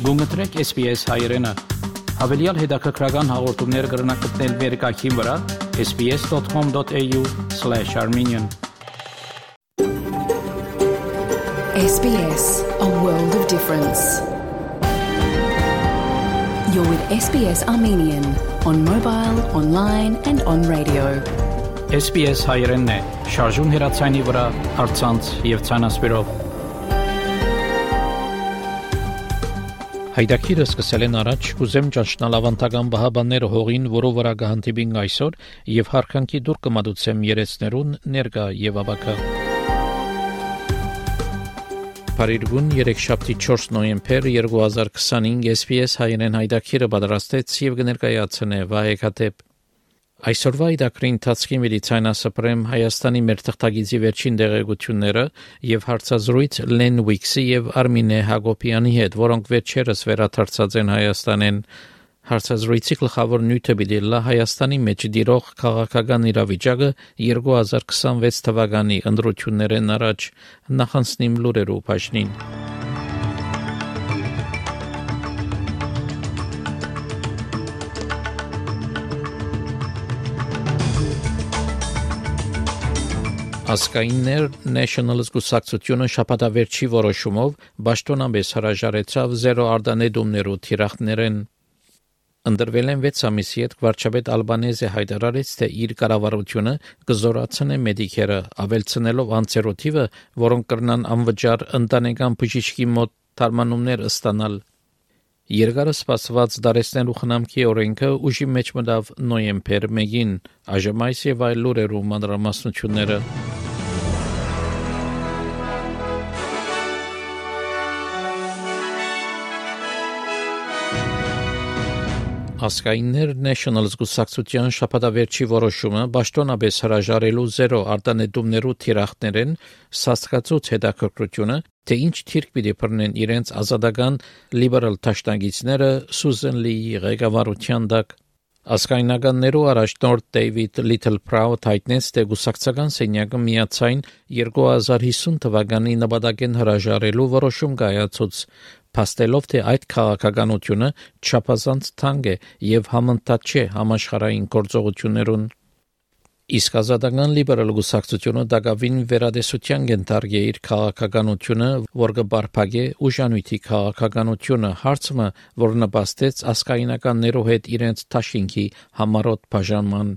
Գումտրեք SPS հայրենը, հավելյալ հետաքրքրական հաղորդումներ կգրնակցնել վերկայքին վրա sbs.com.au/armenian SBS, a world of difference. You're with SBS Armenian on mobile, online and on radio. SPS հայրենն է, շարժուն հեռացայինի վրա, առցանց եւ ցանասպիրով։ Հայդակիրը սկսել են առաջ կուզեմ ճանչնալ ավանդական բահաբանները հողին, որով վրա կհանդիպին այսօր եւ հարկանքի դուր կմատուցեմ երեցներուն ներկա եւ աբակա։ Փարիգուն 3-շաբթի 4 նոյեմբեր 2025 SPS հայերեն հայդակիրը պատրաստեց եւ կներկայացնե Վահեգատեփ։ Այսօրվա իդակրի ընթացքի մեդիցինասպրեմ Հայաստանի մեր թղթագիտի վերջին դեղեցությունները եւ հարցազրույց Լեն Ուիքսի եւ Արմինե Հակոբյանի հետ, որոնք վերջերս վերադարձած են Հայաստանեն։ Հարցազրույցի գլխավոր նյութը բիդելա Հայաստանի մեջ դիրող քաղաքական իրավիճակը 2026 թվականի ընտրություններն առաջ նախանցնիմ լուրերով բաժնին։ Ասկայիններ National զգուշացությունը շաբաթավերջի որոշումով պաշտոնապես հրաժարեցավ 0 արտանետումներու թիրախներեն։ Ընդրվել են 6 ամիսի հետ վարչապետ Ալբանեզը հայտարարեց, թե իր կառավարությունը կզորացնե մեդիկերը, ավելցնելով անձերու թիվը, որոնք կրնան անվճար ընտանեկան բժիշկի մոտ թարմանումներ ստանալ։ Երկարը սպասված դարեցնելու խնամքի օրենքը ուժի մեջ մտավ նոյեմբեր 1-ին, այժմ այս եւ այլ լուրերու մանրամասնությունները։ Ասկայիններ National զգուշացության շաբաթավերջի որոշումը պաշտոնապես հրաժարելու 0 արտանետումներու թիրախներեն սաստկացուց հետաքրքրությունը, թե ինչ թիրք պիտի բռնեն իրենց ազատական լիբերալ դաշնակիցները Սուզան Լիի ղեկավարության տակ։ Ասկայնականներու առաջնորդ Դեյվիդ Լիթլփրաուտ հայտնեց, թե գուսակցական սենյակը միացայն 2050 թվականի նպատակեն հրաժարելու որոշում կայացուց, փաստելով, թե այդ քաղաքականությունը չափազանց թանկ է եւ համընթաց չէ համաշխարհային գործողություններուն։ Իսկ ազատական լիբերալ գուսակցությունը դակավին վերադեսության կենտարգե իր քաղաքականությունը, որ կբարփակե ուժանույթի քաղաքականությունը, հարցը, որ նպաստեց ասկայնականներու հետ իրենց թաշինքի համառոտ բաժանման։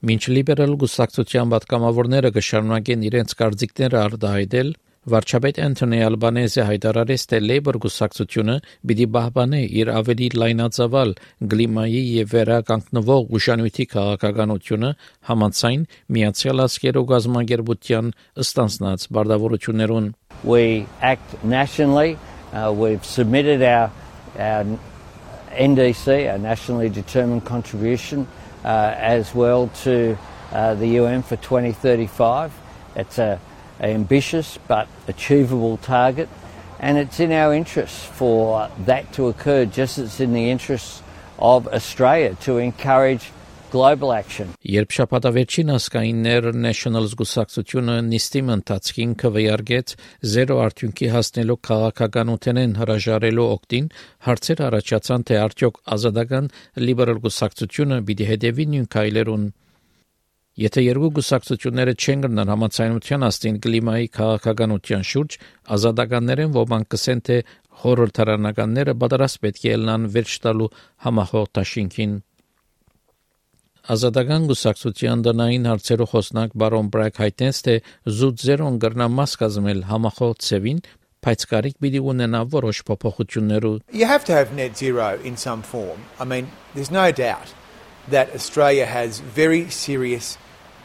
Մինչ լիբերալ գուսակցության պատգամավորները կշարունակեն իրենց կարծիքները արտահայտել, վարչապետ Անթոնի Ալբանեզը հայտարարեց, թե Լեյբոր գուսակցությունը պիտի պահպանե իր ավելի լայնածավալ կլիմայի եւ վերականգնվող ուժանույթի քաղաքականությունը համաձայն Միացյալ Ազգերու կազմակերպության ստանձնած բարդավորություններուն։ We act nationally. We've submitted our NDC, our nationally determined contribution, as well to the UN for 2035. It's an ambitious but achievable target, and it's in our interests for that to occur, just as it's in the interests of Australia to encourage global action. Երբ շաբաթավերջին ասկայիններ National զգուշացությունը նիստի ընթացքին քվեարկեց 0 արդյունքի հասնելու քաղաքականութենեն հրաժարելու օգտին, հարցեր առաջացան, թե արդյոք ազատական լիբերալ գուսակցությունը պիտի հետևի նույն քայլերուն։ Եթե երկու գուսակցությունները չեն գտնան համաձայնության աստին կլիմայի քաղաքականության շուրջ, ազատականներեն ոմանք կսեն, թե խորհրդարանականները պատրաստ պետք է ելնան վերջ տալու համախոհ դաշինքին։ Ազատական գուսակցության տնային հարցերու խոսնակ բարոն Բրագ հայտնեց, թե զուտ 0-ն կրնա մաս կազմել համախոհ ծևին, բայց կարիք պիտի ունենա որոշ փոփոխություններու։ You have to have net zero in some form. I mean, there's no doubt that Australia has very serious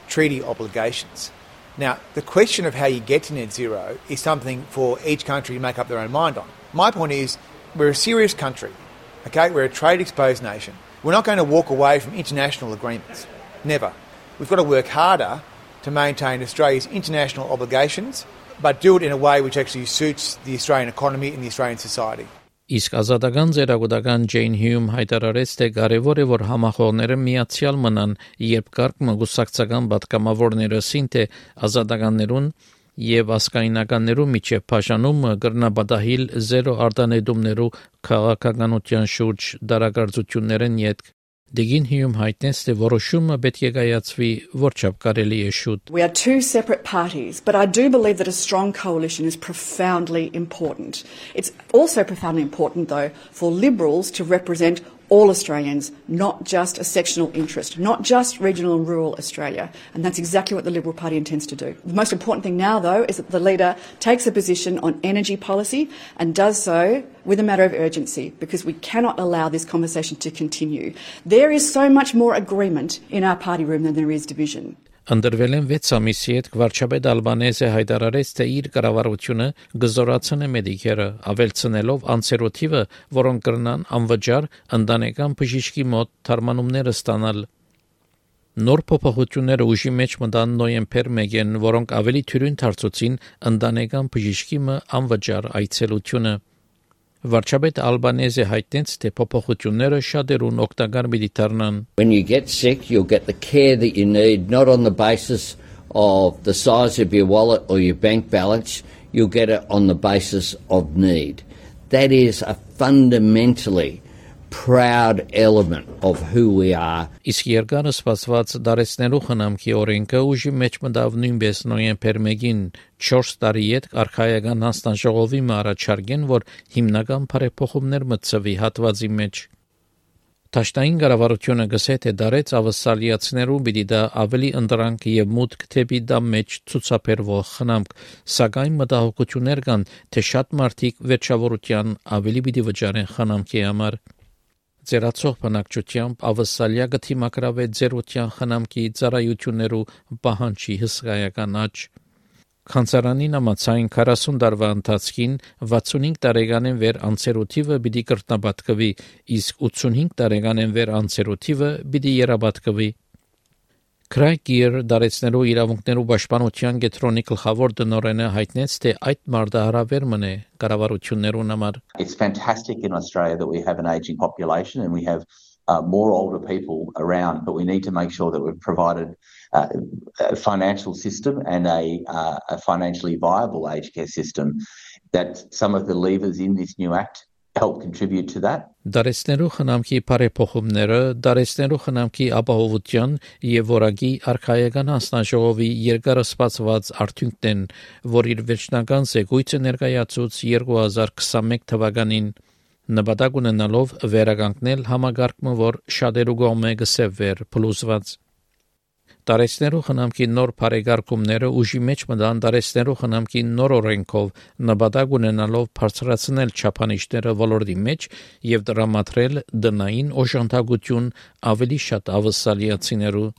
treaty obligations. Now, the question of how you get to net zero is something for each country to make up their own mind on. My point is, we're a serious country, okay? We're a trade-exposed nation. We're not going to walk away from international agreements. Never. We've got to work harder to maintain Australia's international obligations, but do it in a way which actually suits the Australian economy and the Australian society. Իսկ ազատական ձերագուտական Ջեյն Հյում հայտարարեց, թե կարևոր է, որ համախոհները միացյալ մնան, երբ կարգ մգուսակցական պատգամավորները սին թե ազատականներուն եւ ասկայնականներու միջև բաժանումը կրնաբադահիլ 0 արտանետումներու քաղաքականության շուրջ դարակարծություններն յետք Դիգին հիում հայտնեց, թե որոշումը պետք է կայացվի որչափ կարելի է շուտ. We are two separate parties, but I do believe that a strong coalition is profoundly important. It's also profoundly important, though, for Liberals to represent all Australians, not just a sectional interest, not just regional and rural Australia. And that's exactly what the Liberal Party intends to do. The most important thing now, though, is that the leader takes a position on energy policy and does so with a matter of urgency, because we cannot allow this conversation to continue. There is so much more agreement in our party room than there is division. Ընդրվել են 6 ամիսի հետ վարչապետ Ալբանեզը հայտարարեց, թե իր կառավարությունը գզորացնե մեդիկերը, ավելցնելով անցերոթիվը, որոնք կրնան անվճար ընտանեկան բժիշկի մոտ թարմանումները ստանալ։ Նոր փոփոխությունները ուժի մեջ մտան նոյեմբեր 1-ին, որոնք ավելի թյուրին դարձուցին ընտանեկան բժիշկի անվճար այցելությունը։ Վարչապետ Ալբանեզը հայտնեց, թե փոփոխությունները շատերուն օգտակար պիտի դառնան։ When you get sick, you'll get the care that you need, not on the basis of the size of your wallet or your bank balance. You'll get it on the basis of need. That is a fundamentally proud element of who we are. Իսկ երկար սպասված դարեցնելու խնամքի օրենքը ուժի մեջ մտավ նույնպես նոյեմբեր 1-ին 4 տարի հետ արխայական հանձնաժողովի առաջարկեն, որ հիմնական բարեփոխումներ մտցվի հատվածի մեջ։ Տաշտային կառավարությունը գսե թե դարեց ավսալիացներու պիտի դա ավելի ընդրանք եւ մուտք թեպի դա մեջ ցուցաբերվող խնամք, սակայն մտահոգություններ կան, թե շատ մարդիկ վերջավորության ավելի պիտի վճարեն խնամքի համար։ Ձերացող բնակչությամբ ավսալիա գտիմակրավե ձերության խնամքի ծառայություններու պահանջի հսկայական աճ։ Կանցարանին ամացային 40 տարվա ընթացքին 65 տարեկանեն վեր անցերոթիվը պիտի կրտնաբատկվի, իսկ 85 տարեկանեն վեր անցերոթիվը պիտի երաբատկվի։ Քրայգիր դարեցնելու իրավունքներու պաշտպանության կենտրոնի գլխավոր տնօրենը հայտնեց, թե այդ մարտահրավեր մնե կառավարություններուն համար։ It's fantastic in Australia that we have an ageing population and we have more older people around, but we need to make sure that we've provided a financial system and a financially viable aged care system, that some of the levers in this new act help contribute to that. Դարեցնելու խնամքի բարեփոխումները դարեցնելու խնամքի ապահովության եւ որակի արխայական հանձնաժողովի երկարասպասված արդյունքն են, որ իր վերջնական զեկույցը ներկայացուց 2021 թվականին նպատակ ունենալով վերականգնել համագարկումը, որ շատերու կողմէ գսեվեր փլուզված։ Դարեցնելու խնամքի նոր բարեկարգումները ուժի մեջ մտան դարեցնելու խնամքի նոր օրենքով նպատակ ունենալով բարձրացնել չափանիշները ոլորտի մեջ եւ դրամատրել դնային օժանդակություն ավելի շատ ավսալիացիներու։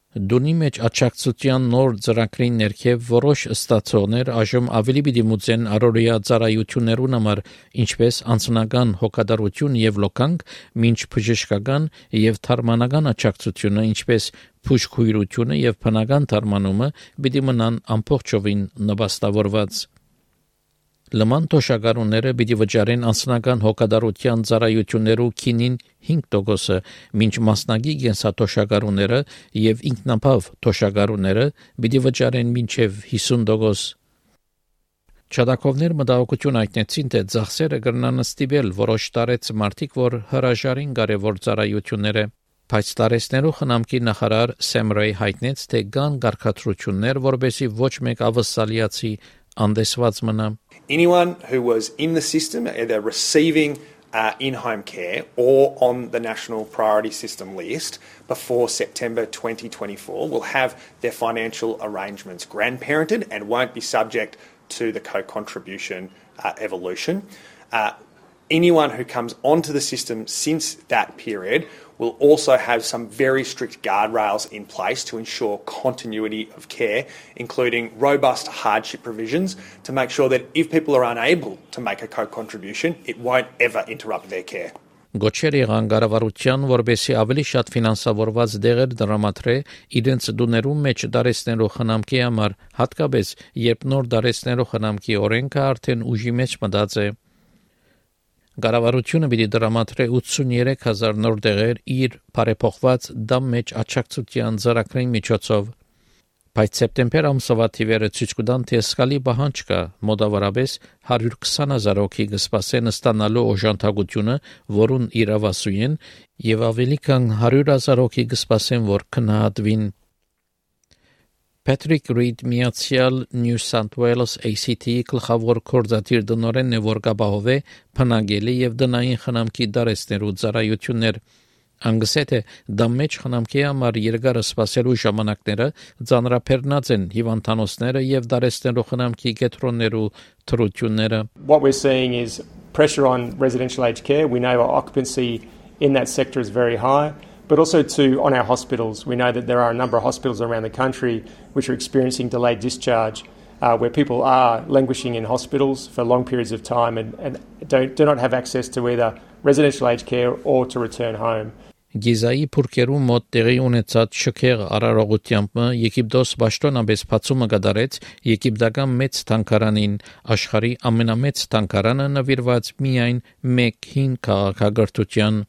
Դունի մեջ աճակցության նոր ծրագրի ներքև որոշ ստացողներ այժմ ավելի պիտի մուծեն առօրյա ծառայություններուն համար, ինչպես անձնական հոգատարություն եւ լոկանք, մինչ բժշկական եւ թարմանական աճակցությունը, ինչպես փուշքույրությունը եւ բնական թարմանումը պիտի մնան ամբողջովին նպաստավորված։ Լման թոշակառուները պիտի վճարեն անձնական հոգատարության ծառայություններու քինին 5%, մինչ մասնագի կենսաթոշակառուները եւ ինքնաբավ թոշակառուները պիտի վճարեն մինչեւ 50%։ Չադակովներ մտահոգություն հայտնեցին, թե ծախսերը կրնան ստիպել որոշ տարեց մարդիկ, որ հրաժարին կարևոր ծառայությունները։ Բայց տարեցնելու խնամքի նախարար Սեմ Ռեյ հայտնեց, թե կան կարգադրություններ, որպեսզի ոչ մեկ ավսալիացի անդեսված մնա։ Anyone who was in the system, either receiving in-home care or on the National Priority System list before September 2024 will have their financial arrangements grandparented and won't be subject to the co-contribution evolution. Anyone who comes onto the system since that period will also have some very strict guardrails in place to ensure continuity of care, including robust hardship provisions to make sure that if people are unable to make a co-contribution, it won't ever interrupt their care. Գոչեր եղան կառավարության, որպեսզի ավելի շատ ֆինանսավորված դեղեր դրամատրե իրենց դուներու մեջ դարեցնելու խնամքի համար, հատկապես երբ նոր դարեցնելու խնամքի օրենքը արդեն ուժի մեջ մտած է։ Կառավարությունը պիտի դրամատրե 83,000 նոր դեղեր իր բարեփոխված դամ մեջ աճակցության ծրագրի միջոցով։ Բայց սեպտեմբեր ամսվա թիվերը ցույց կտան, թե սկալի բանջ կա մոտավորապես 120,000 հոգի կսպասեն ստանալու օժանդակությունը, որուն իրավասու են, եւ ավելի քան 100,000 հոգի կսպասեն, որ քննադատվին։ Patrick Reed միացյալ New South Wales ACT-ի գլխավոր գործադիր դնորենն է, որ կապահովե բնակելի եւ դնային խնամքի դարեցներու ծառայություններ։ Անգսեթե դա մեջ խնամքի համար երկար սպասելու ժամանակները ծանրաբեռնած են հիվանդանոցները եւ դարեցներու խնամքի կետրոններու թրությունները։ What we're seeing is pressure on residential aged care. We know our occupancy in that sector is very high, but also on our hospitals. We know that there are a number of hospitals around the country which are experiencing delayed discharge, where people are languishing in hospitals for long periods of time and do not have access to either residential aged care or to return home. Գիզայի փուրկերու մոտ տեղի ունեցած շքեղ արարողությամբ Եգիպտոս պաշտոնապես բացումը կդարեց եգիպտական մեծ թանգարանին, աշխարհի ամենամեծ թանգարանը նվիրված միայն մեկ հին քաղաքագրթության։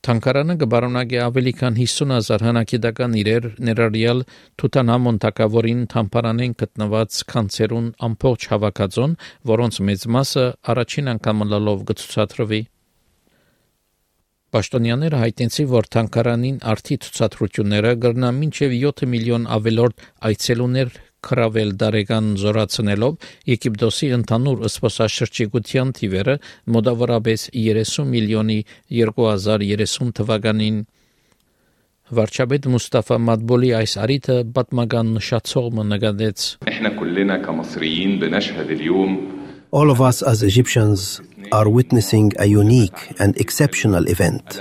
Թանգարանը կբարոնագի ավելի քան 50,000 հնագիտական իրեր, ներառյալ Թութանհամոն թագավորին թամփարանեն գտնված քանցերուն ամբողջ հավաքածուն, որոնց մեծ մասը առաջին անգամ լալով կցուցադրվի։ Պաշտոնյաները հայտնեցին, որ թանգարանին արդի ցուցադրությունները կգրնան մինչև 7 միլիոն ավելորդ այցելուներ կրավել դարեգան զորացնելով Եգիպտոսի ընդհանուր զբոսաշրջիկության թիվերը մոտավորապես 30 միլիոնի 2030 թվականին։ Վարչապետ Մուստաֆա Մադբոլի այս արիթը պատմական նշացողը նկատեց։ All of us as Egyptians are witnessing a unique and exceptional event,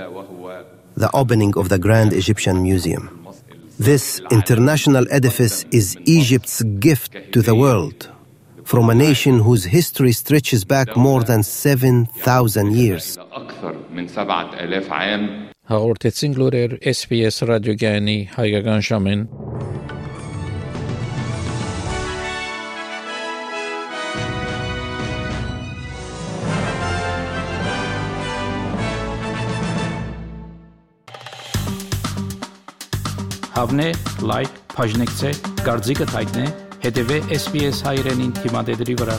the opening of the Grand Egyptian Museum. This international edifice is Egypt's gift to the world, from a nation whose history stretches back more than 7,000 years. Հաղորդեցին լուրեր SBS ռադիոգյանի հայկական ժամին։ Հավնե, լայք, բաժնեկցե, դարձիկը թայտնե, հետևե SBS հայրենին թիմադեդրի վրա։